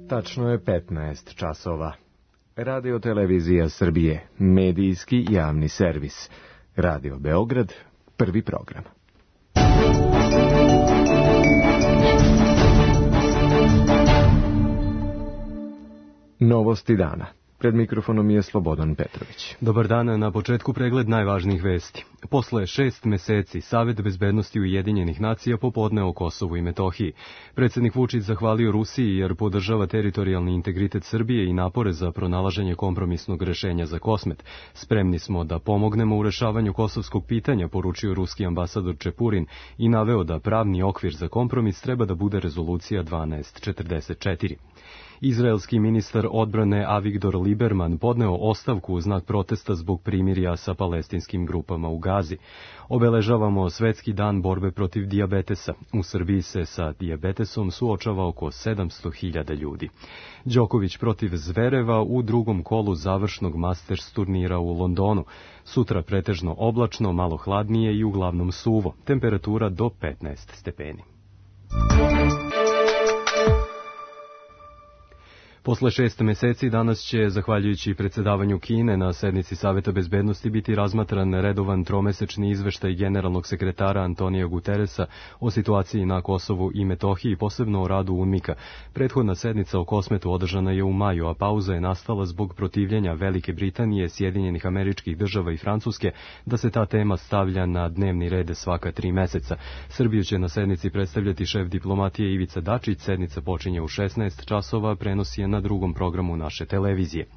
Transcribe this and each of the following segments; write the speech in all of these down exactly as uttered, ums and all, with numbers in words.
Tačno je petnaest časova. Radio Televizija Srbije, medijski javni servis. Radio Beograd, prvi program. Novosti dana. Pred mikrofonom je Slobodan Petrović. Dobar dan, na početku pregled najvažnijih vesti. Posle šest meseci Savet bezbednosti Ujedinjenih nacija popodne o Kosovu i Metohiji. Predsjednik Vučić zahvalio Rusiji jer podržava teritorijalni integritet Srbije i napore za pronalaženje kompromisnog rešenja za Kosmet. Spremni smo da pomognemo u rešavanju kosovskog pitanja, poručio ruski ambasador Čepurin i naveo da pravni okvir za kompromis treba da bude rezolucija dvanaest četrdeset četiri. Izraelski ministar odbrane Avigdor Lieberman podneo ostavku u znak protesta zbog primirja sa palestinskim grupama u Gazi. Obeležavamo Svetski dan borbe protiv dijabetesa. U Srbiji se sa dijabetesom suočava oko sedamsto hiljada ljudi. Đoković protiv Zvereva u drugom kolu završnog Masters turnira u Londonu. Sutra pretežno oblačno, malo hladnije i uglavnom suvo. Temperatura do petnaest stepeni. Posle šest meseci danas će, zahvaljujući predsedavanju Kine na sednici Saveta bezbednosti, biti razmatran redovan tromesečni izveštaj generalnog sekretara Antonija Guteresa o situaciji na Kosovu i Metohiji, posebno o radu UNMIK-a. Prethodna sednica o Kosmetu održana je u maju, a pauza je nastala zbog protivljenja Velike Britanije, Sjedinjenih Američkih Država i Francuske da se ta tema stavlja na dnevni red svaka tri meseca. Srbiju će na sednici predstavljati šef diplomatije Ivica Dačić. Sednica počinje u šesnaest časova, prenosi je na drugom programu naše televizije.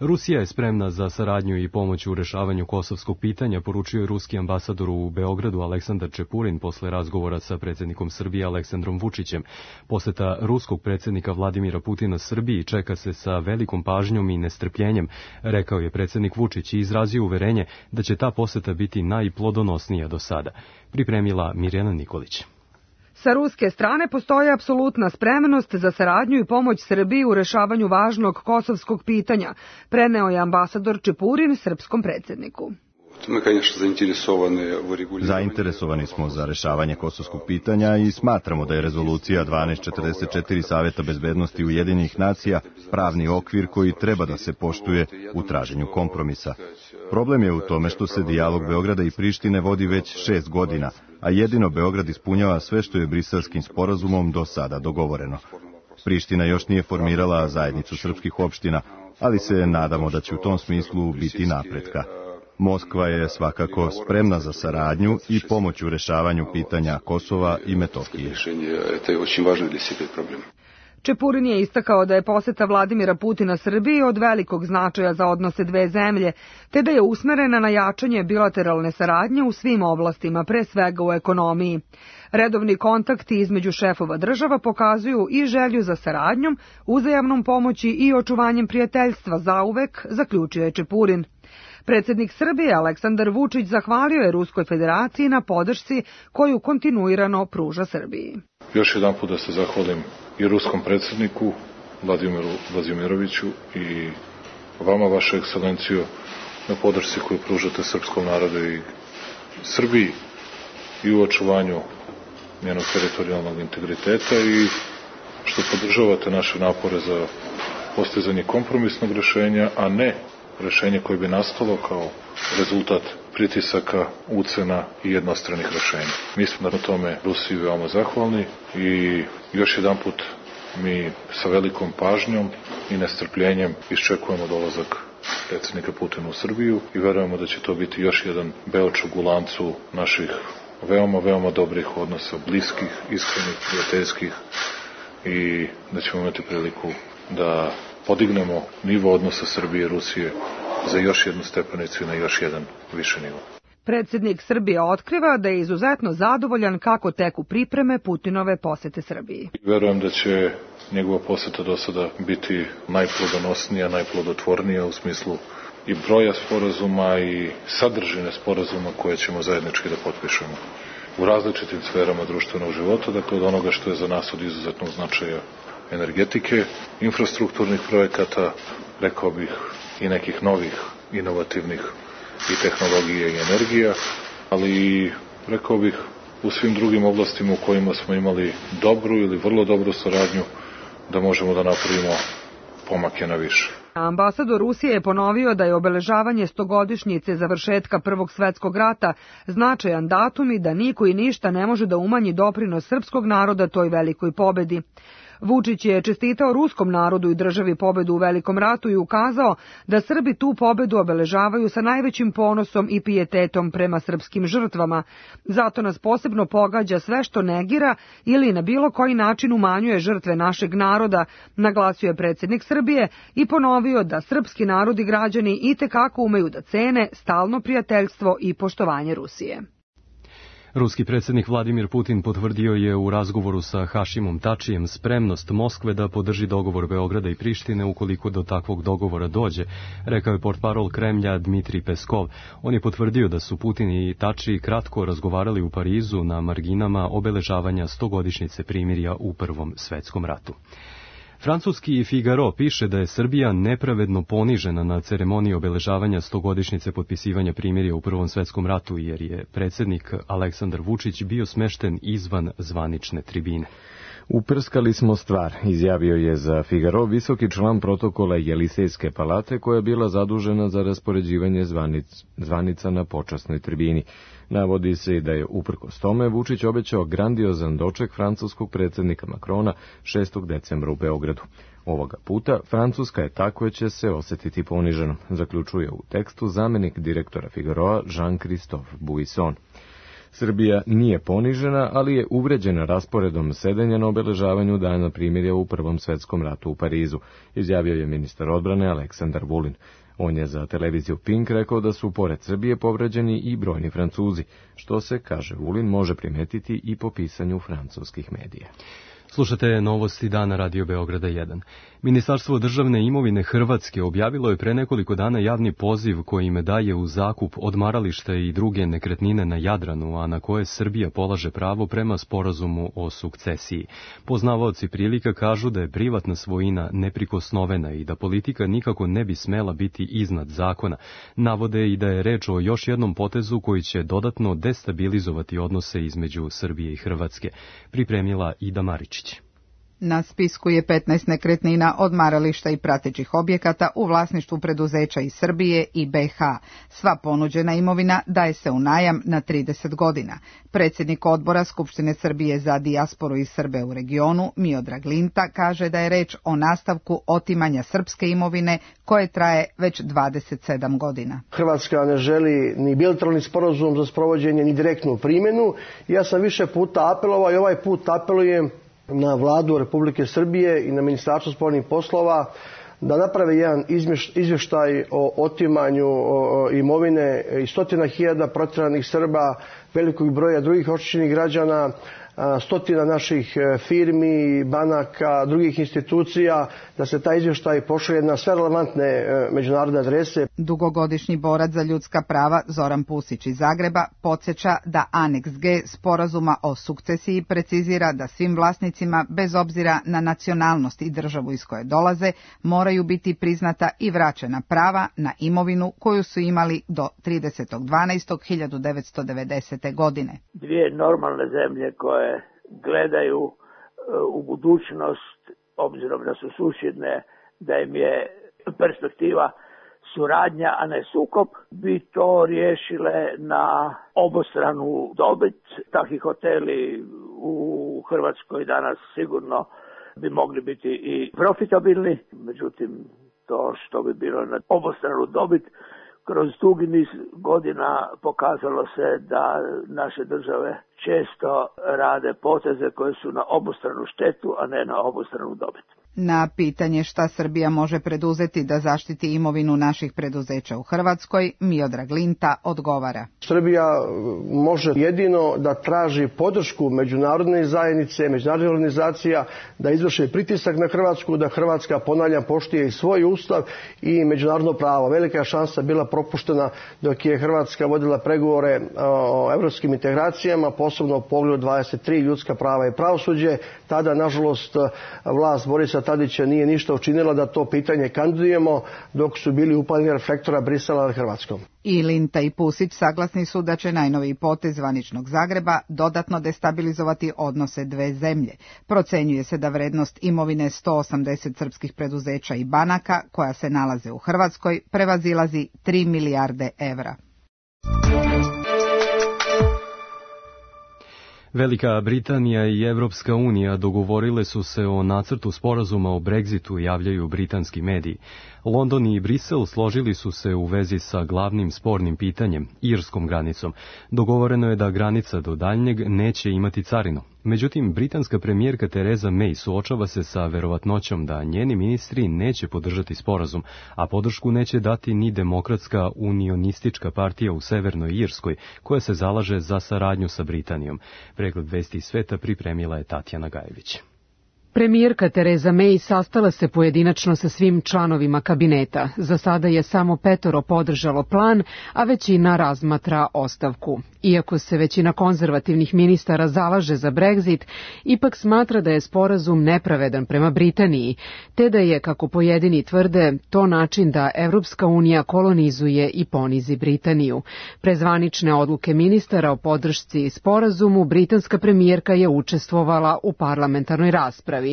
Rusija je spremna za saradnju i pomoć u rešavanju kosovskog pitanja, poručio je ruski ambasador u Beogradu Aleksandar Čepurin posle razgovora sa predsjednikom Srbije Aleksandrom Vučićem. Poseta ruskog predsjednika Vladimira Putina Srbiji čeka se sa velikom pažnjom i nestrpljenjem, rekao je predsjednik Vučić i izrazio uverenje da će ta poseta biti najplodonosnija do sada. Pripremila Mirjana Nikolić. Sa ruske strane postoji apsolutna spremnost za saradnju i pomoć Srbiji u rešavanju važnog kosovskog pitanja, preneo je ambasador Čepurin srpskom predsjedniku. Zainteresovani smo za rešavanje kosovskog pitanja i smatramo da je rezolucija dvanaest četrdeset četiri Saveta bezbednosti Ujedinjenih nacija pravni okvir koji treba da se poštuje u traženju kompromisa. Problem je u tome što se dijalog Beograda i Prištine vodi već šest godina, a jedino Beograd ispunjava sve što je Briselskim sporazumom do sada dogovoreno. Priština još nije formirala zajednicu srpskih opština, ali se nadamo da će u tom smislu biti napretka. Moskva je svakako spremna za saradnju i pomoć u rešavanju pitanja Kosova i Metohije. Čepurin je istakao da je poseta Vladimira Putina Srbiji od velikog značaja za odnose dve zemlje, te da je usmerena na jačanje bilateralne saradnje u svim oblastima, pre svega u ekonomiji. Redovni kontakti između šefova država pokazuju i želju za saradnjom, uzajamnom pomoći i očuvanjem prijateljstva zauvek, zaključio je Čepurin. Predsjednik Srbije Aleksandar Vučić zahvalio je Ruskoj federaciji na podršci koju kontinuirano pruža Srbiji. Još jedan put da se zahvalim i ruskom predsjedniku Vladimiru Vladimiroviću i vama, vaša ekscelencijo, na podršci koju pružate srpskom narodu i Srbiji i u očuvanju njenog teritorijalnog integriteta i što podržavate naše napore za postizanje kompromisnog rešenja, a ne rešenje koje bi nastalo kao rezultat pritisaka, ucena i jednostranih rešenja. Mi smo na tome Rusiji veoma zahvalni i još jedan put mi sa velikom pažnjom i nestrpljenjem iščekujemo dolazak predsjednika Putina u Srbiju i verujemo da će to biti još jedan beočug u lancu naših veoma, veoma dobrih odnosa, bliskih, iskrenih, prijateljskih i da ćemo imati priliku da podignemo nivo odnosa Srbije i Rusije za još jednu stepenicu i na još jedan više nivo. Predsjednik Srbije otkriva da je izuzetno zadovoljan kako teku pripreme Putinove posete Srbiji. Verujem da će njegova poseta do sada biti najplodonosnija, najplodotvornija u smislu i broja sporazuma i sadržine sporazuma koje ćemo zajednički da potpišemo u različitim sferama društvenog života, dakle od onoga što je za nas od izuzetnog značaja energetike, infrastrukturnih projekata, rekao bih i nekih novih, inovativnih i tehnologije i energija, ali i, rekao bih, u svim drugim oblastima u kojima smo imali dobru ili vrlo dobru saradnju, da možemo da napravimo pomake na više. Ambasador Rusije je ponovio da je obeležavanje stogodišnjice završetka Prvog svetskog rata značajan datum i da niko i ništa ne može da umanji doprinos srpskog naroda toj velikoj pobedi. Vučić je čestitao ruskom narodu i državi pobedu u Velikom ratu i ukazao da Srbi tu pobedu obeležavaju sa najvećim ponosom i pijetetom prema srpskim žrtvama. Zato nas posebno pogađa sve što negira ili na bilo koji način umanjuje žrtve našeg naroda, naglasio je predsjednik Srbije i ponovio da srpski narod i građani itekako umeju da cene stalno prijateljstvo i poštovanje Rusije. Ruski predsjednik Vladimir Putin potvrdio je u razgovoru sa Hašimom Tačijem spremnost Moskve da podrži dogovor Beograda i Prištine ukoliko do takvog dogovora dođe, rekao je portparol Kremlja Dmitrij Peskov. On je potvrdio da su Putin i Tači kratko razgovarali u Parizu na marginama obeležavanja stogodišnjice primirja u Prvom svetskom ratu. Francuski Figaro piše da je Srbija nepravedno ponižena na ceremoniji obeležavanja stogodišnjice potpisivanja primirja u Prvom svetskom ratu, jer je predsjednik Aleksandar Vučić bio smešten izvan zvanične tribine. Uprskali smo stvar, izjavio je za Figaro visoki član protokola Jelisejske palate koja je bila zadužena za raspoređivanje zvanic, zvanica na počasnoj tribini. Navodi se i da je uprkos tome Vučić obećao grandiozan doček francuskog predsjednika Makrona šestog decembra u Beogradu. Ovoga puta Francuska je tako će se osjetiti poniženom, zaključuje u tekstu zamenik direktora Figaroa Jean-Christophe Buisson. Srbija nije ponižena, ali je uvređena rasporedom sedenja na obeležavanju dana primirja u Prvom svetskom ratu u Parizu, izjavio je ministar odbrane Aleksandar Vulin. On je za televiziju Pink rekao da su pored Srbije povređeni i brojni Francuzi, što se, kaže Vulin, može primetiti i po pisanju francuskih medija. Slušate novosti dana Radio Beograda jedan. Ministarstvo državne imovine Hrvatske objavilo je pre nekoliko dana javni poziv kojim daje u zakup odmarališta i druge nekretnine na Jadranu, a na koje Srbija polaže pravo prema sporazumu o sukcesiji. Poznavaoci prilika kažu da je privatna svojina neprikosnovena i da politika nikako ne bi smela biti iznad zakona. Navode i da je reč o još jednom potezu koji će dodatno destabilizovati odnose između Srbije i Hrvatske, pripremila Ida Maričić. Na spisku je petnaest nekretnina, odmarališta i pratećih objekata u vlasništvu preduzeća iz Srbije i B iH. Sva ponuđena imovina daje se u najam na trideset godina. Predsjednik odbora Skupštine Srbije za dijasporu i Srbe u regionu, Miodrag Linta, kaže da je reč o nastavku otimanja srpske imovine koje traje već dvadeset sedam godina. Hrvatska ne želi ni bilateralni sporazum za sprovođenje, ni direktnu primjenu. Ja sam više puta apelovao i ovaj put apelujem na vladu Republike Srbije i na Ministarstvo spoljnih poslova da naprave jedan izvještaj o otimanju imovine i stotina hiljada protjeranih Srba, velikog broja drugih oštećenih građana, stotina naših firmi, banaka, drugih institucija, da se taj izvještaj pošalje na sve relevantne međunarodne adrese. Dugogodišnji borac za ljudska prava Zoran Pusić iz Zagreba podsjeća da Aneks G sporazuma o sukcesiji precizira da svim vlasnicima, bez obzira na nacionalnost i državu iz koje dolaze, moraju biti priznata i vraćena prava na imovinu koju su imali do tridesetog dvanaestog hiljadu devetsto devedesete. godine. Dvije normalne zemlje koje gledaju u budućnost, obzirom da su susjedne, da im je perspektiva suradnja, a ne sukob, bi to riješile na obostranu dobit. Takvi hoteli u Hrvatskoj danas sigurno bi mogli biti i profitabilni, međutim to što bi bilo na obostranu dobit kroz dugi niz godina pokazalo se da naše države često rade poteze koje su na obostranu štetu, a ne na obostranu dobit. Na pitanje šta Srbija može preduzeti da zaštiti imovinu naših preduzeća u Hrvatskoj, Miodrag Linta odgovara. Srbija može jedino da traži podršku međunarodne zajednice, međunarodnih organizacija, da izvrše pritisak na Hrvatsku, da Hrvatska, ponavljam, poštuje i svoj ustav i međunarodno pravo. Velika je šansa bila propuštena dok je Hrvatska vodila pregovore o evropskim integracijama, posebno u poglavlju dvadeset tri ljudska prava i pravosuđe. Tada, nažalost, vlast Borisa Tadića nije ništa učinila da to pitanje kandidujemo dok su bili upaljeni reflektora Brisela nad Hrvatskom. I Linta i Pusić saglasni su da će najnoviji potez zvaničnog Zagreba dodatno destabilizovati odnose dve zemlje. Procenjuje se da vrednost imovine sto osamdeset srpskih preduzeća i banaka koja se nalaze u Hrvatskoj prevazilazi tri milijarde evra. Velika Britanija i Evropska unija dogovorile su se o nacrtu sporazuma o Brexitu, javljaju britanski mediji. London i Brisel složili su se u vezi sa glavnim spornim pitanjem, irskom granicom. Dogovoreno je da granica do daljnjeg neće imati carinu. Međutim, britanska premijerka Theresa May suočava se sa verovatnoćom da njeni ministri neće podržati sporazum, a podršku neće dati ni demokratska unionistička partija u Severnoj Irskoj, koja se zalaže za saradnju sa Britanijom. Pregled vesti iz sveta pripremila je Tatjana Gajević. Premijerka Theresa May sastala se pojedinačno sa svim članovima kabineta. Za sada je samo petoro podržalo plan, a većina razmatra ostavku. Iako se većina konzervativnih ministara zalaže za Brexit, ipak smatra da je sporazum nepravedan prema Britaniji, te da je, kako pojedini tvrde, to način da Evropska unija kolonizuje i ponizi Britaniju. Pre zvanične odluke ministara o podršci sporazumu, britanska premijerka je učestvovala u parlamentarnoj raspravi.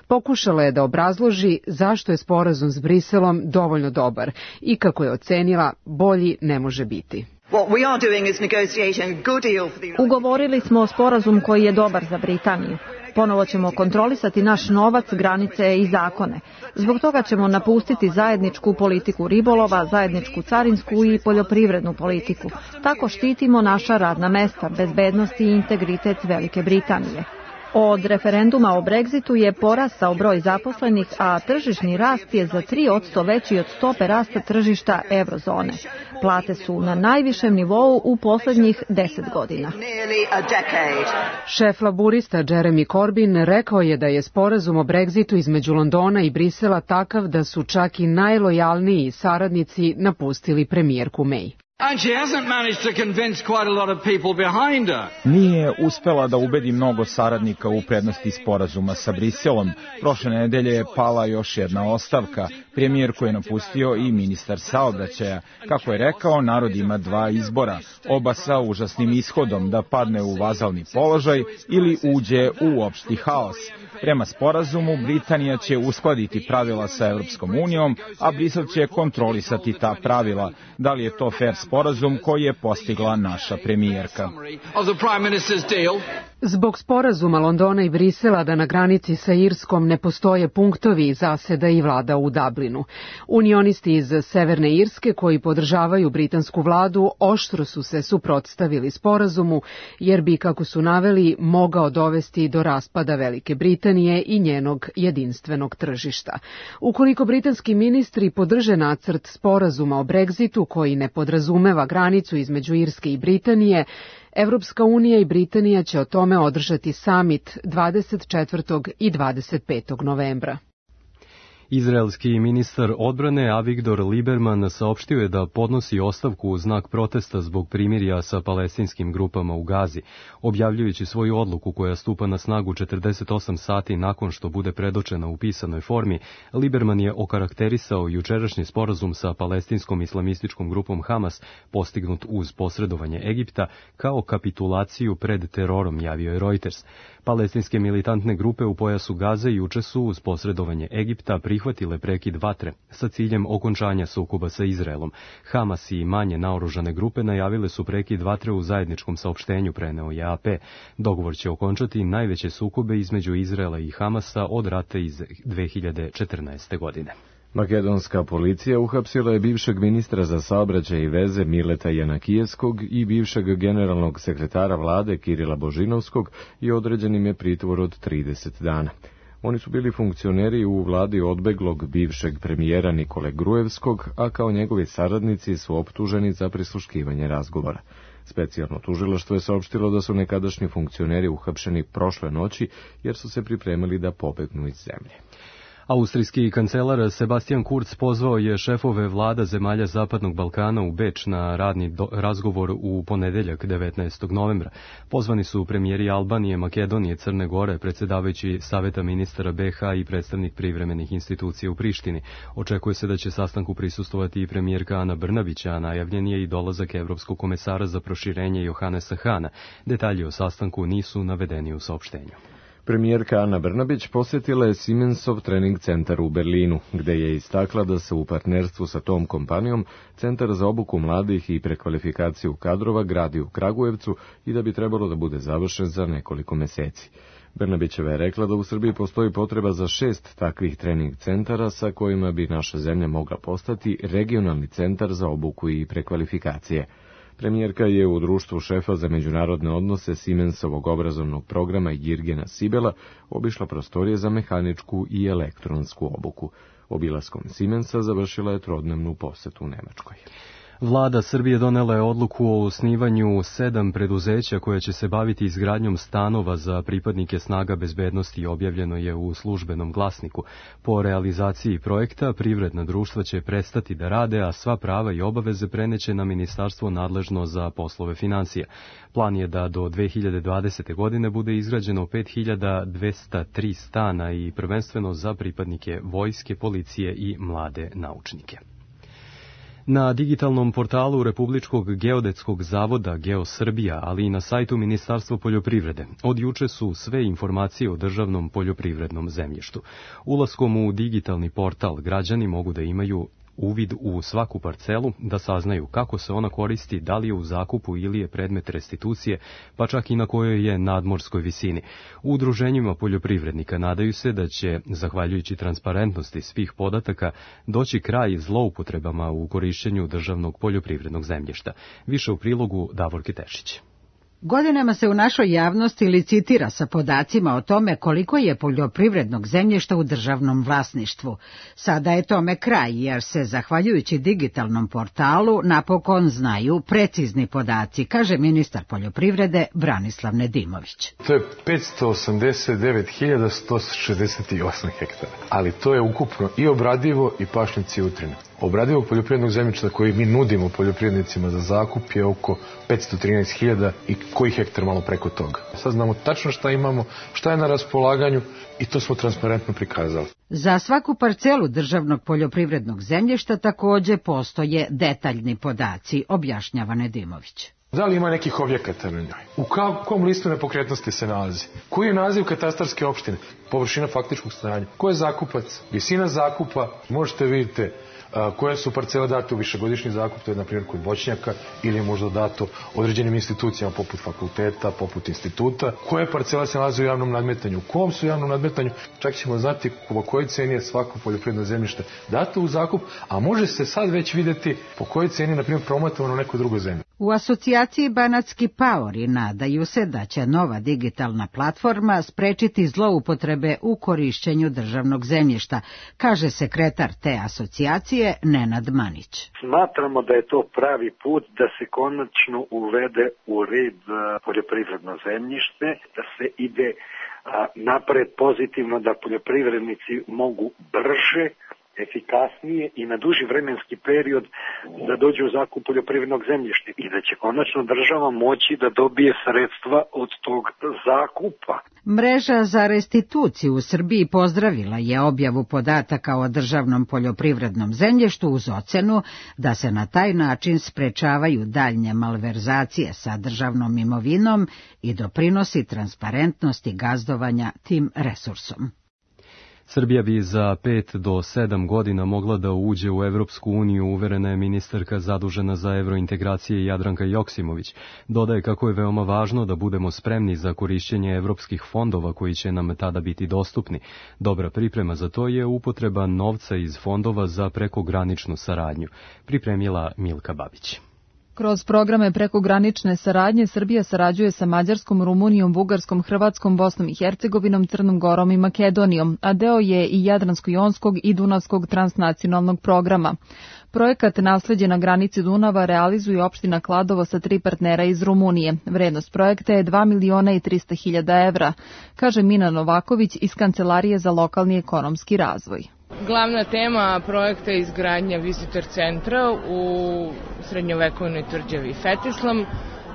Pokušala je da obrazloži zašto je sporazum s Briselom dovoljno dobar i kako je ocenila bolji ne može biti. Ugovorili smo sporazum koji je dobar za Britaniju. Ponovo ćemo kontrolisati naš novac, granice i zakone. Zbog toga ćemo napustiti zajedničku politiku ribolova, zajedničku carinsku i poljoprivrednu politiku. Tako štitimo naša radna mesta, bezbednost i integritet Velike Britanije. Od referenduma o Brexitu je porastao broj zaposlenih, a tržišni rast je za tri posto veći od stope rasta tržišta eurozone. Plate su na najvišem nivou u poslednjih deset godina. Šef laburista Jeremy Corbyn rekao je da je sporazum o Brexitu između Londona i Brisela takav da su čak i najlojalniji saradnici napustili premijerku May. Nije uspela da ubedi mnogo saradnika u prednosti sporazuma sa Briselom. Prošle nedelje je pala još jedna ostavka. Premijer koji je napustio i ministar saobraćaja. Kako je rekao, narod ima dva izbora. Oba sa užasnim ishodom, da padne u vazalni položaj ili uđe u opšti haos. Prema sporazumu, Britanija će uskladiti pravila sa Evropskom unijom, a Brisel će kontrolisati ta pravila. Da li je to fair sporazum koji je postigla naša premijerka? Zbog sporazuma Londona i Brisela da na granici sa Irskom ne postoje punktovi, zaseda i vlada u Dublinu. Unionisti iz Severne Irske koji podržavaju britansku vladu oštro su se suprotstavili sporazumu, jer bi, kako su naveli, mogao dovesti do raspada Velike Britanije i njenog jedinstvenog tržišta. Ukoliko britanski ministri podrže nacrt sporazuma o Brexitu koji ne podrazumeva granicu između Irske i Britanije, Evropska unija i Britanija će o tome održati samit dvadeset četvrtog i dvadeset petog novembra. Izraelski ministar odbrane Avigdor Lieberman saopštio je da podnosi ostavku u znak protesta zbog primirja sa palestinskim grupama u Gazi. Objavljujući svoju odluku koja stupa na snagu četrdeset osam sati nakon što bude predočena u pisanoj formi, Lieberman je okarakterisao jučerašnji sporazum sa palestinskom islamističkom grupom Hamas, postignut uz posredovanje Egipta, kao kapitulaciju pred terorom, javio je Reuters. Palestinske militantne grupe u pojasu Gaze juče su uz posredovanje Egipta prihvatile prekid vatre sa ciljem okončanja sukoba sa Izraelom. Hamas i manje naoružane grupe najavile su prekid vatre u zajedničkom saopštenju, preneo je A P. Dogovor će okončati najveće sukobe između Izraela i Hamasa od rata iz dve hiljade četrnaeste. godine. Makedonska policija uhapsila je bivšeg ministra za saobraćaj i veze Mileta Janakijevskog i bivšeg generalnog sekretara vlade Kirila Božinovskog i određen im je pritvor od trideset dana. Oni su bili funkcioneri u vladi odbeglog bivšeg premijera Nikole Grujevskog, a kao njegovi saradnici su optuženi za prisluškivanje razgovora. Specijalno tužilaštvo je saopštilo da su nekadašnji funkcioneri uhapšeni prošle noći jer su se pripremili da pobegnu iz zemlje. Austrijski kancelar Sebastian Kurz pozvao je šefove vlada zemalja Zapadnog Balkana u Beč na radni do, razgovor u ponedeljak devetnaestog novembra. Pozvani su premijeri Albanije, Makedonije, Crne Gore, predsjedavajući Saveta ministara be ha i predstavnik privremenih institucija u Prištini. Očekuje se da će sastanku prisustvovati i premijerka Ana Brnabić, a najavljen je i dolazak evropskog komesara za proširenje Johannesa Hana. Detalji o sastanku nisu navedeni u saopštenju. Premijerka Ana Brnabić posjetila je Siemensov trening centar u Berlinu, gde je istakla da se u partnerstvu sa tom kompanijom Centar za obuku mladih i prekvalifikaciju kadrova gradi u Kragujevcu i da bi trebalo da bude završen za nekoliko meseci. Brnabićeva je rekla da u Srbiji postoji potreba za šest takvih trening centara sa kojima bi naša zemlja mogla postati regionalni centar za obuku i prekvalifikacije. Premijerka je u društvu šefa za međunarodne odnose Siemensovog obrazovnog programa Jirgena Sibela obišla prostorije za mehaničku i elektronsku obuku. Obilaskom Siemensa završila je trodnevnu posetu u Nemačkoj. Vlada Srbije donela je odluku o osnivanju sedam preduzeća koja će se baviti izgradnjom stanova za pripadnike snaga bezbednosti, objavljeno je u Službenom glasniku. Po realizaciji projekta privredna društva će prestati da rade, a sva prava i obaveze preneće na ministarstvo nadležno za poslove financija. Plan je da do dve hiljade dvadesete. godine bude izgrađeno pet hiljada dvesta tri stana i prvenstveno za pripadnike vojske, policije i mlade naučnike. Na digitalnom portalu Republičkog geodetskog zavoda GeoSrbija, ali i na sajtu Ministarstva poljoprivrede, od juče su sve informacije o državnom poljoprivrednom zemljištu. Ulaskom u digitalni portal građani mogu da imaju uvid u svaku parcelu, da saznaju kako se ona koristi, da li je u zakupu ili je predmet restitucije, pa čak i na kojoj je nadmorskoj visini. U udruženjima poljoprivrednika nadaju se da će, zahvaljujući transparentnosti svih podataka, doći kraj zloupotrebama u korišćenju državnog poljoprivrednog zemljišta. Više u prilogu Davorke Tešić. Godinama se u našoj javnosti licitira sa podacima o tome koliko je poljoprivrednog zemljišta u državnom vlasništvu. Sada je tome kraj, jer se, zahvaljujući digitalnom portalu, napokon znaju precizni podaci, kaže ministar poljoprivrede Branislav Nedimović. To je petsto osamdeset devet hiljada sto šezdeset osam hektara, ali to je ukupno i obradivo i pašnjaci i utrine. Obradivog poljoprivrednog zemljišta koji mi nudimo poljoprivrednicima za zakup je oko petsto trinaest hiljada i koji hektar malo preko toga. Sad znamo tačno šta imamo, šta je na raspolaganju i to smo transparentno prikazali. Za svaku parcelu državnog poljoprivrednog zemljišta takođe postoje detaljni podaci, objašnjava Nedimović. Da li ima nekih objekata na njoj? U kom listu nepokretnosti se nalazi? Koji je naziv katastarske opštine? Površina faktičkog stanja? Ko je zakupac? Visina zakupa? Možete vidjeti koje su parcele date u višegodišnji zakup, to je na primjer kod voćnjaka, ili je možda dato određenim institucijama poput fakulteta, poput instituta. Koje parcele se nalaze u javnom nadmetanju? U kom su javnom nadmetanju? Čak ćemo znati po kojoj ceni je svako poljoprivredno zemljište dato u zakup, a može se sad već vidjeti po kojoj ceni, na primjer, promotovano neko drugo zemlje. U asocijaciji Banatski paori nadaju se da će nova digitalna platforma sprečiti zloupotrebe u korišćenju državnog zemljišta, kaže sekretar te asocijacije Nenad Manić. Smatramo da je to pravi put da se konačno uvede u red poljoprivredno zemljište, da se ide napred pozitivno, da poljoprivrednici mogu brže, efikasnije i na duži vremenski period da dođe u zakup poljoprivrednog zemljišta i da će konačno država moći da dobije sredstva od tog zakupa. Mreža za restituciju u Srbiji pozdravila je objavu podataka o državnom poljoprivrednom zemljištu uz ocenu da se na taj način sprečavaju daljnje malverzacije sa državnom imovinom i doprinosi transparentnosti gazdovanja tim resursom. Srbija bi za pet do sedam godina mogla da uđe u Evropsku uniju, uverena je ministarka zadužena za evrointegracije Jadranka Joksimović. Dodaje kako je veoma važno da budemo spremni za korišćenje evropskih fondova koji će nam tada biti dostupni. Dobra priprema za to je upotreba novca iz fondova za prekograničnu saradnju, pripremila Milka Babić. Kroz programe prekogranične saradnje Srbija sarađuje sa Mađarskom, Rumunijom, Bugarskom, Hrvatskom, Bosnom i Hercegovinom, Crnom Gorom i Makedonijom, a deo je i Jadransko-jonskog i Dunavskog transnacionalnog programa. Projekat Nasleđe na granici Dunava realizuje opština Kladovo sa tri partnera iz Rumunije. Vrednost projekta je dva miliona i trista hiljada evra, kaže Mina Novaković iz Kancelarije za lokalni ekonomski razvoj. Glavna tema projekta je izgradnja visitor centra u srednjovekovnoj tvrđavi Fetislam.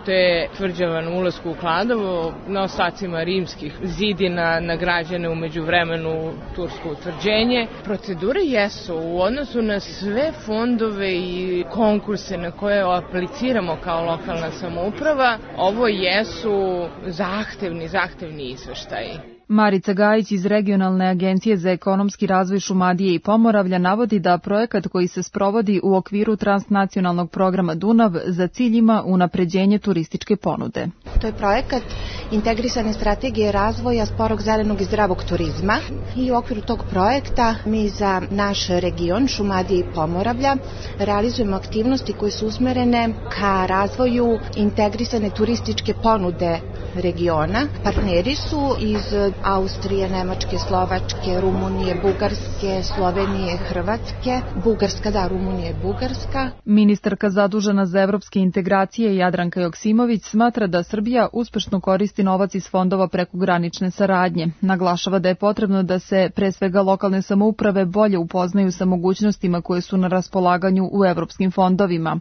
To je tvrđava na ulasku u Kladovo, na ostacima rimskih zidina nagrađene u međuvremenu tursko utvrđenje. Procedure jesu u odnosu na sve fondove i konkurse na koje apliciramo kao lokalna samouprava. Ovo jesu zahtevni, zahtevni izveštaji. Marica Gajić iz Regionalne agencije za ekonomski razvoj Šumadije i Pomoravlja navodi da projekat koji se sprovodi u okviru transnacionalnog programa Dunav za cilj ima unapređenje turističke ponude. To je projekat integrisane strategije razvoja sporog, zelenog i zdravog turizma i u okviru tog projekta mi za naš region Šumadije i Pomoravlja realizujemo aktivnosti koje su usmerene ka razvoju integrisane turističke ponude regiona. Partneri su iz Austrije, Nemačke, Slovačke, Rumunije, Bugarske, Slovenije, Hrvatske, Bugarska, da, Rumunije, Bugarska. Ministarka zadužena za evropske integracije Jadranka Joksimović smatra da Srbija uspešno koristi novac iz fondova prekogranične saradnje. Naglašava da je potrebno da se pre svega lokalne samouprave bolje upoznaju sa mogućnostima koje su na raspolaganju u evropskim fondovima.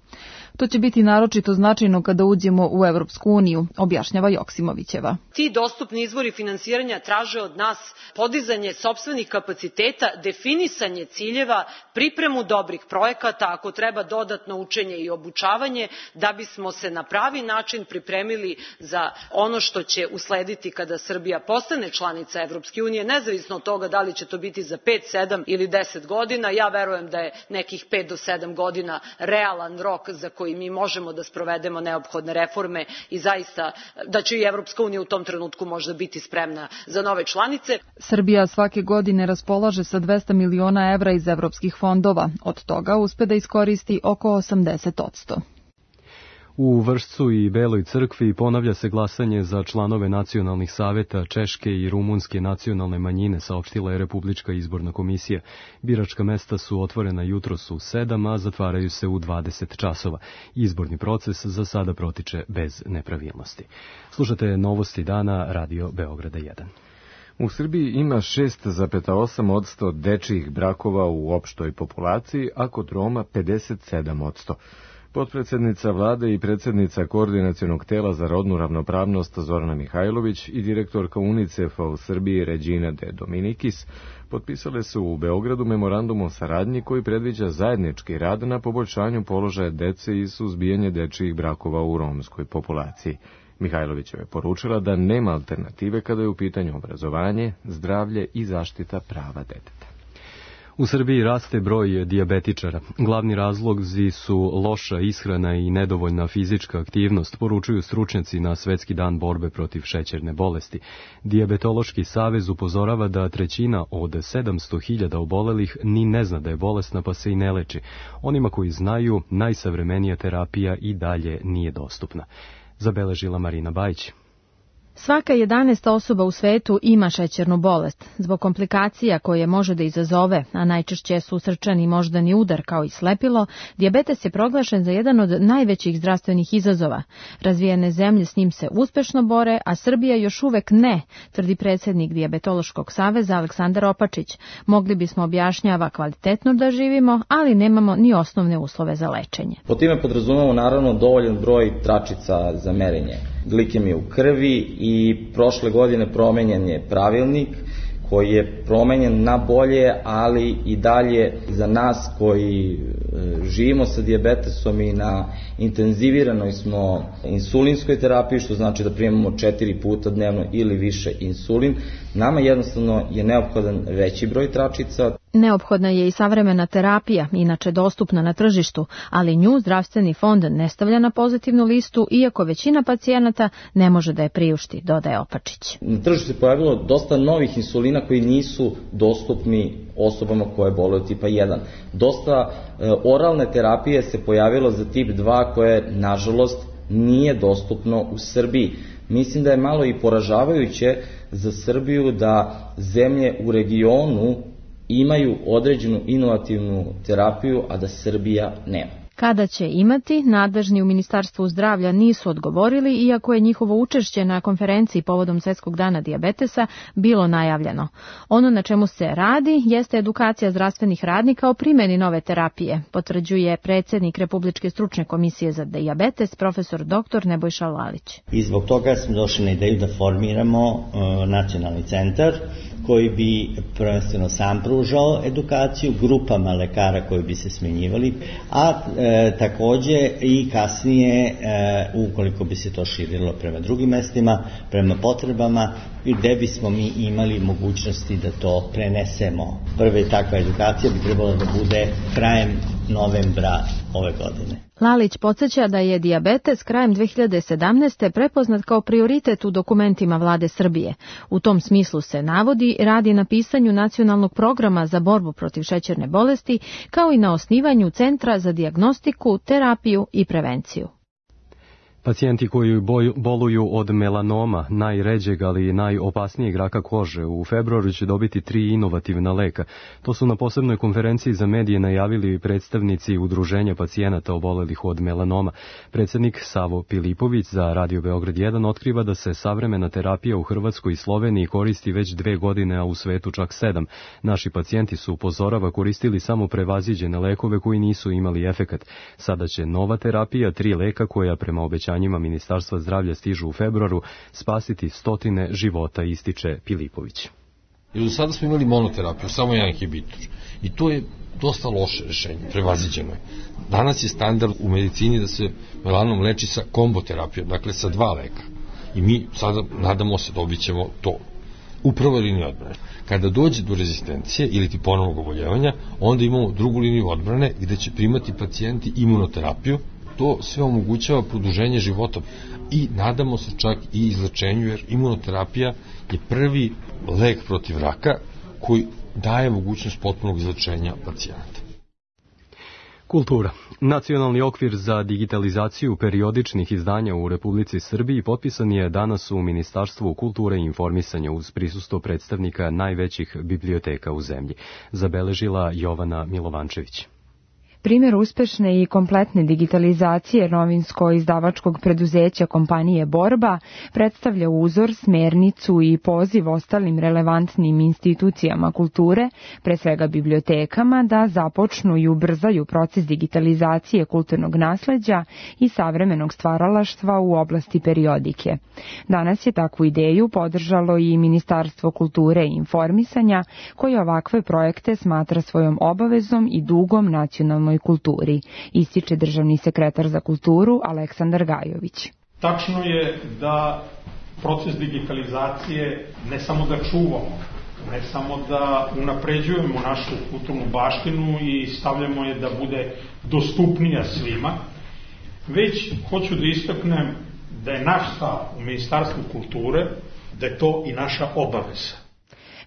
To će biti naročito značajno kada uđemo u Evropsku uniju, objašnjava Joksimovićeva. Ti dostupni izvori finansiranja traže od nas podizanje sopstvenih kapaciteta, definisanje ciljeva, pripremu dobrih projekata, ako treba dodatno učenje i obučavanje, da bismo se na pravi način pripremili za ono što će uslediti kada Srbija postane članica Evropske unije, nezavisno od toga da li će to biti za pet, sedam ili deset godina. Ja verujem da je nekih pet do sedam godina realan rok za koji mi možemo da sprovedemo neophodne reforme i zaista da će i Evropska unija u tom trenutku možda biti spremna za nove članice. Srbija svake godine raspolaže sa dvesta miliona evra iz evropskih fondova. Od toga uspe da iskoristi oko osamdeset posto. U Vršcu i Beloj crkvi ponavlja se glasanje za članove nacionalnih saveta Češke i Rumunske nacionalne manjine, saopštila je Republička izborna komisija. Biračka mesta su otvorena jutros u sedam, a zatvaraju se u dvadeset časova. Izborni proces za sada protiče bez nepravilnosti. Slušate novosti dana Radio Beograda jedan. U Srbiji ima šest zarez osam posto dečijih brakova u opštoj populaciji, a kod Roma pedeset sedam posto. Potpredsednica vlade i predsednica Koordinacionog tela za rodnu ravnopravnost Zorana Mihajlović i direktorka UNICEF-a u Srbiji Regina de Dominikis potpisale su u Beogradu memorandum o saradnji koji predviđa zajednički rad na poboljšanju položaja dece i suzbijanje dečijih brakova u romskoj populaciji. Mihajlovićeva je poručila da nema alternative kada je u pitanju obrazovanje, zdravlje i zaštita prava deteta. U Srbiji raste broj dijabetičara. Glavni razlozi su loša ishrana i nedovoljna fizička aktivnost, poručuju stručnjaci na Svetski dan borbe protiv šećerne bolesti. Dijabetološki savez upozorava da trećina od sedamsto hiljada obolelih ni ne zna da je bolesna pa se i ne leči. Onima koji znaju, najsavremenija terapija i dalje nije dostupna. Zabeležila Marina Bajić. Svaka jedanaesta osoba u svetu ima šećernu bolest. Zbog komplikacija koje može da izazove, a najčešće su srčani i moždani udar kao i slepilo, dijabetes je proglašen za jedan od najvećih zdravstvenih izazova. Razvijene zemlje s njim se uspešno bore, a Srbija još uvek ne, tvrdi predsjednik Dijabetološkog saveza Aleksandar Opačić. Mogli bismo, objašnjava, kvalitetno da živimo, ali nemamo ni osnovne uslove za lečenje. Po time podrazumemo naravno dovoljan broj tračica za merenje glikemije u krvi i prošle godine promenjen je pravilnik koji je promenjen na bolje, ali i dalje za nas koji živimo sa dijabetesom i na intenziviranoj smo insulinskoj terapiji, što znači da primamo četiri puta dnevno ili više insulin, nama jednostavno je neophodan veći broj tračica. Neophodna je i savremena terapija, inače dostupna na tržištu, ali nju zdravstveni fond ne stavlja na pozitivnu listu, iako većina pacijenata ne može da je priušti, dodaje Opačić. Na tržištu se pojavilo dosta novih insulina koji nisu dostupni osobama koje boluju od tipa jedan. Dosta e, oralne terapije se pojavilo za tip dva koje, nažalost, nije dostupno u Srbiji. Mislim da je malo i poražavajuće za Srbiju da zemlje u regionu imaju određenu inovativnu terapiju, a da Srbija nema. Kada će imati, nadležni u Ministarstvu zdravlja nisu odgovorili, iako je njihovo učešće na konferenciji povodom Svetskog dana dijabetesa bilo najavljeno. Ono na čemu se radi jeste edukacija zdravstvenih radnika o primjeni nove terapije, potvrđuje predsjednik Republičke stručne komisije za dijabetes, profesor doktor Nebojša Lalić. I zbog toga smo došli na ideju da formiramo uh, nacionalni centar koji bi prvenstveno sam pružao edukaciju grupama lekara koji bi se smjenjivali, a e, takođe i kasnije, e, ukoliko bi se to širilo prema drugim mestima, prema potrebama, gde bismo mi imali mogućnosti da to prenesemo. Prva takva edukacija bi trebala da bude krajem novembra ove godine. Lalić podsjeća da je dijabetes krajem dve hiljade sedamnaeste. prepoznat kao prioritet u dokumentima vlade Srbije. U tom smislu se navodi radi na pisanju nacionalnog programa za borbu protiv šećerne bolesti, kao i na osnivanju Centra za dijagnostiku, terapiju i prevenciju. Pacijenti koji boluju od melanoma, najređeg ali i najopasnijeg raka kože, u februaru će dobiti tri inovativna leka. To su na posebnoj konferenciji za medije najavili predstavnici Udruženja pacijenata obolelih od melanoma. Predsjednik Savo Pilipović za Radio Beograd jedan otkriva da se savremena terapija u Hrvatskoj i Sloveniji koristi već dve godine, a u svetu čak sedam. Naši pacijenti su, upozorava, koristili samo prevaziđene lekove koji nisu imali efekat. Sada će nova terapija, tri leka koja prema obećanju njima Ministarstva zdravlja stižu u februaru, spasiti stotine života, ističe Pilipović. Jer do sada smo imali monoterapiju, samo jedan inhibitor. I to je dosta loše rešenje, prevaziđeno je. Danas je standard u medicini da se melanom leči sa komboterapijom, dakle sa dva leka. I mi sada, nadamo se, dobit ćemo to u prvoj liniji odbrane. Kada dođe do rezistencije ili ti ponovnog oboljevanja, onda imamo drugu liniju odbrane gde će primati pacijenti imunoterapiju. To sve omogućava produženje života i nadamo se čak i izlečenju, jer imunoterapija je prvi lek protiv raka koji daje mogućnost potpunog izlečenja pacijenata. Kultura. Nacionalni okvir za digitalizaciju periodičnih izdanja u Republici Srbiji potpisan je danas u Ministarstvu kulture i informisanja uz prisustvo predstavnika najvećih biblioteka u zemlji, zabeležila Jovana Milovančević. Primjer uspešne i kompletne digitalizacije novinsko-izdavačkog preduzeća kompanije Borba predstavlja uzor, smernicu i poziv ostalim relevantnim institucijama kulture, pre svega bibliotekama, da započnu i ubrzaju proces digitalizacije kulturnog nasleđa i savremenog stvaralaštva u oblasti periodike. Danas je takvu ideju podržalo i Ministarstvo kulture i informisanja, koje ovakve projekte smatra svojom obavezom i dugom nacionalnoj kulturi, ističe državni sekretar za kulturu Aleksandar Gajović. Tačno je da proces digitalizacije ne samo da čuvamo, ne samo da unapređujemo našu kulturnu baštinu i stavljamo je da bude dostupnija svima, već hoću da istaknem da je naš stav u Ministarstvu kulture da je to i naša obaveza.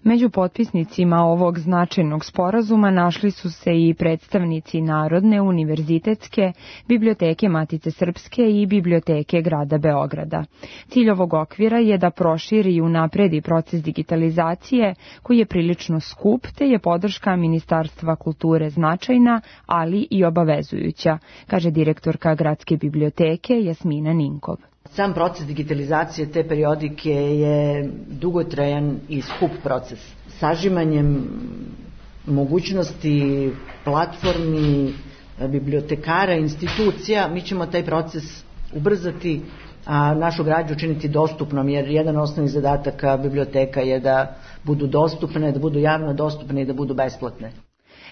Među potpisnicima ovog značajnog sporazuma našli su se i predstavnici Narodne, univerzitetske, biblioteke Matice Srpske i biblioteke grada Beograda. Cilj ovog okvira je da proširi i unapredi proces digitalizacije, koji je prilično skup, te je podrška Ministarstva kulture značajna, ali i obavezujuća, kaže direktorka Gradske biblioteke Jasmina Ninkov. Sam proces digitalizacije te periodike je dugotrajan i skup proces. Sažimanjem mogućnosti platformi, bibliotekara, institucija, mi ćemo taj proces ubrzati, a našu građu učiniti dostupnom, jer jedan osnovni zadataka biblioteka je da budu dostupne, da budu javno dostupne i da budu besplatne.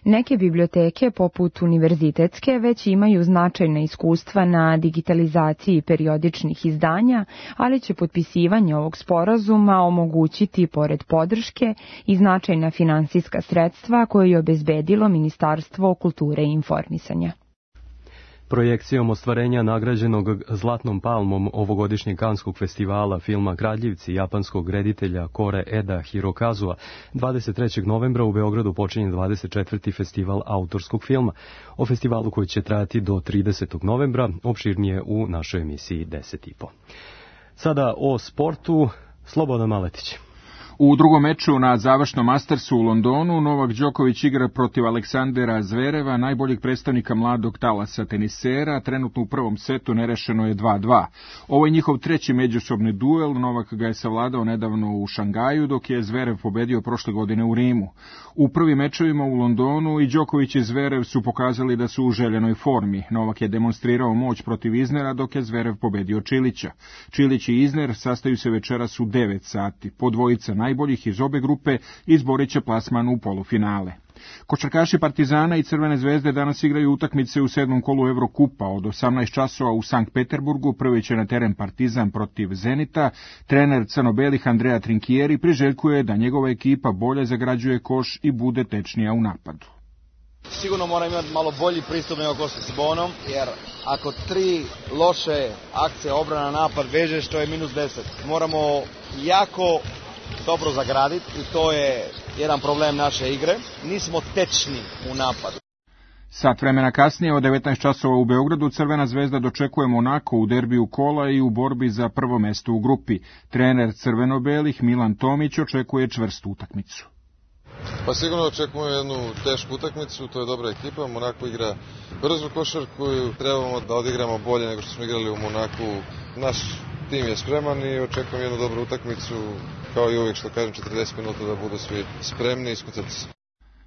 Neke biblioteke, poput univerzitetske, već imaju značajna iskustva na digitalizaciji periodičnih izdanja, ali će potpisivanje ovog sporazuma omogućiti, pored podrške, i značajna finansijska sredstva koje je obezbedilo Ministarstvo kulture i informisanja. Projekcijom ostvarenja nagrađenog Zlatnom palmom ovogodišnjeg Kanskog festivala filma Kradljivci japanskog reditelja Kore Eda Hirokazua, dvadeset trećeg novembra u Beogradu počinje dvadeset četvrti festival autorskog filma. O festivalu koji će trajati do tridesetog novembra opširnije u našoj emisiji deset i po. Sada o sportu, Slobodan Maletić. U drugom meču na završnom Mastersu u Londonu Novak Đoković igra protiv Aleksandera Zvereva, najboljeg predstavnika mladog talasa tenisera. Trenutno u prvom setu nerešeno je dva dva. Ovo je njihov treći međusobni duel. Novak ga je savladao nedavno u Šangaju, dok je Zverev pobedio prošle godine u Rimu. U prvim mečevima u Londonu i Đoković i Zverev su pokazali da su u željenoj formi. Novak je demonstrirao moć protiv Iznera, dok je Zverev pobedio Čilića. Čilić i Izner sastaju se večeras u devet sati. Po dvojica najboljih iz obe grupe izborit će plasman u polufinale. Košarkaši Partizana i Crvene zvezde danas igraju utakmice u sedmom kolu Evrokupa. Od osamnaest časova u Sankt Peterburgu prvi će na teren Partizan protiv Zenita. Trener crno-belih Andrea Trinkieri priželjkuje da njegova ekipa bolje zagrađuje koš i bude tečnija u napadu. Sigurno mora imati malo bolji pristup nego ko s Bonom, jer ako tri loše akcije obrana napad vežeš, to je minus deset. Moramo jako dobro zagraditi i to je jedan problem naše igre. Nismo tečni u napadu. Sat vremena kasnije, od devetnaest časova u Beogradu, Crvena zvezda dočekuje Monako u derbiju kola i u borbi za prvo mesto u grupi. Trener crveno-belih Milan Tomić očekuje čvrstu utakmicu. Pa sigurno očekujemo jednu tešku utakmicu, to je dobra ekipa. Monako igra brzu košarku i trebamo da odigramo bolje nego što smo igrali u Monaku. Naš tim je spreman i očekujem jednu dobru utakmicu, kao i uvijek što kažem, četrdeset minuta da budu svi spremni i iskucati se.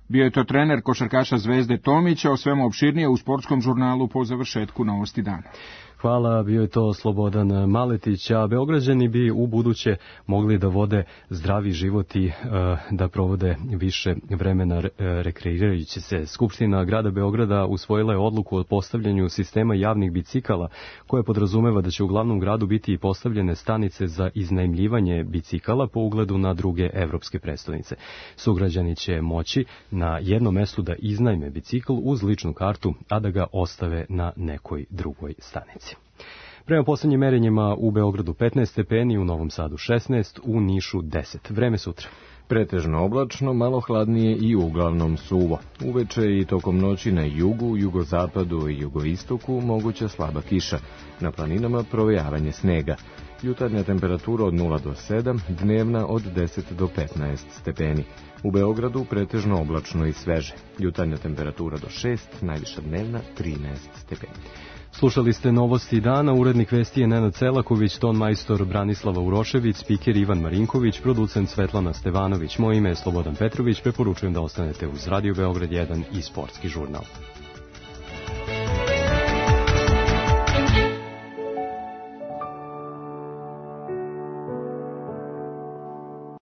Bio je to trener košarkaša Zvezde Tomića, o svemu opširnije u sportskom žurnalu po završetku Novosti dana. Hvala, bio je to Slobodan Maletić, a Beograđani bi u buduće mogli da vode zdravi život i uh, da provode više vremena rekreirajući se. Skupština grada Beograda usvojila je odluku o postavljanju sistema javnih bicikala, koja podrazumeva da će u glavnom gradu biti i postavljene stanice za iznajmljivanje bicikala po ugledu na druge evropske prestonice. Sugrađani će moći na jednom mestu da iznajme bicikl uz ličnu kartu, a da ga ostave na nekoj drugoj stanici. Prema poslednjim merenjima u Beogradu petnaest stepeni, u Novom Sadu šesnaest, u Nišu deset. Vreme sutra. Pretežno oblačno, malo hladnije i uglavnom suvo. Uveče i tokom noći na jugu, jugozapadu i jugoistoku moguća slaba kiša. Na planinama provejavanje snega. Jutarnja temperatura od nula do sedam, dnevna od deset do petnaest stepeni. U Beogradu pretežno oblačno i sveže. Jutarnja temperatura do šest, najviša dnevna trinaest stepeni. Slušali ste Novosti dana, urednik vesti je Nenad Celaković, ton majstor Branislava Urošević, spiker Ivan Marinković, producent Svetlana Stevanović. Moje ime je Slobodan Petrović, preporučujem da ostanete uz Radio Beograd jedan i sportski žurnal.